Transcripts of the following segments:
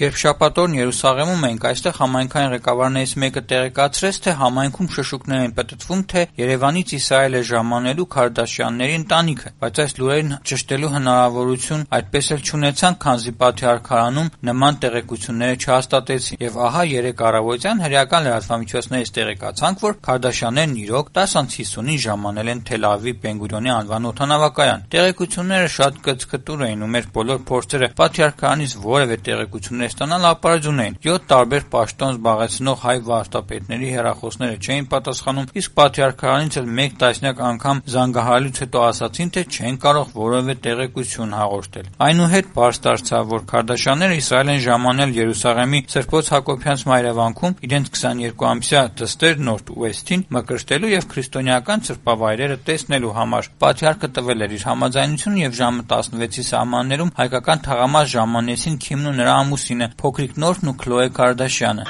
Երբ շաբաթօրն Երուսաղեմում էինք, այստեղ համայնքային ղեկավարներից մեկը տեղեկացրեց, թե համայնքում շշուկներ են պտտվում, թե Երևանից Իսրայել է ժամանելու Քարդաշյանների ընտանիքը, բայց այս լուրերին ճշտելու հնարավորություն այդպես էլ չունեցանք, քանզի Պատրիարքարանում նման տեղեկությունները չհաստատեցին։ Եվ ահա երեկ առավոտյան հրեական լրատվամիջոցներից տեղեկացանք, որ Քարդաշյաններն իրոք 10:50-ին ժամանել են Թել Ավիվի Բեն-Գուրիոնի անվան օդանավակայան։ Տեղեկությունները շատ կծկտուր էին ու մեր բոլոր փորձերը Պատրիարքարանից որևէ տեղեկություններ ստանալ ապարդյուն էին։ 7 տարբեր պաշտոն զբաղեցնող հայ վարդապետների հեռախոսները չէին պատասխանում, իսկ Պատրիարքարանից էլ մեկ տասնյակ անգամ զանգահարելուց հետո ասացին, թե չեն կարող որևէ տեղեկություն հաղորդել։ Այնուհետ պարզ դարձավ, որ Քարդաշյանները Իսրայել են ժամանել Երուսաղեմի Սրբոց Հակոբյանց մայրավանքում իրենց 22-ամսյա դստեր Նորթ Ուեսթին մկրտելու եւ քրիստոնեական սրբավայրերը տեսնելու համար։ Պատրիարքը տվել էր իր համաձայնությունը եւ ժամը 16-ի սահմաններում հայկական թաղամաս ժամանեցին Քիմն ու նրա ամուսինը, փոքրիկ Նորթն ու Քլոե Քարդաշյանը։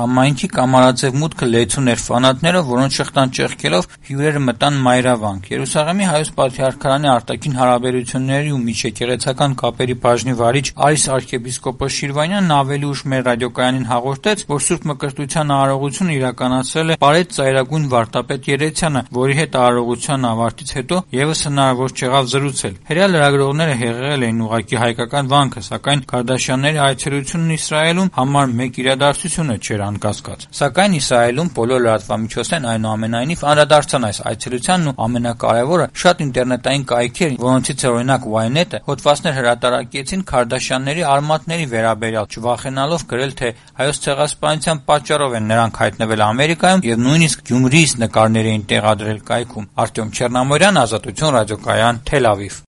Համայնքի կամարաձև մուտքը լեցուն էր ֆանատներով, որոնց շղթան ճեղքելով հյուրերը մտան մայրավանք։ Երուսաղեմի հայոց Պատրիարքարանի արտաքին հարաբերությունների ու միջեկեղեցական կապերի բաժնի վարիչ Արիս arczepiskopos Շիրվանյանն ավելի ուշ մեր ռադիոկայանին հաղորդեց, որ Սուրբ Մկրտության արարողությունը իրականացրել է Պարետ ծայրագույն վարդապետ Երեցյանը, որի հետ արարողության ավարտից հետո եւս հնարավոր չեղավ զրուցել։ Հրեա լրագրողները հեղեղել էին ուղղակի հայկական վանքը, սակայն Քարդաշյանների այցելությունն Իսրայելում համար մեկ իրադարձություն չէր անկասկած։ Սակայն Իսրայելում բոլոր լրատվամիջոցներն այնուամենայնիվ անդրադարձան այս այցելությանն ու ամենակարևորը շատ ինտերնետային կայքեր, որոնցից է օրինակ Ynet-ը, հոդվածներ հրատարակեցին Քարդաշյանների արմատների վերաբերյալ, չվախենալով գրել, թե հայոց ցեղասպանության պատճառով են նրանք հայտնվել Ամերիկայում եւ նույնիսկ Գյումրիից նկարներ էին տեղադրել կայքում։ Արտյոմ Չեռնամորյան, Ազատություն ռադիոկայան, Թել Ավիվ։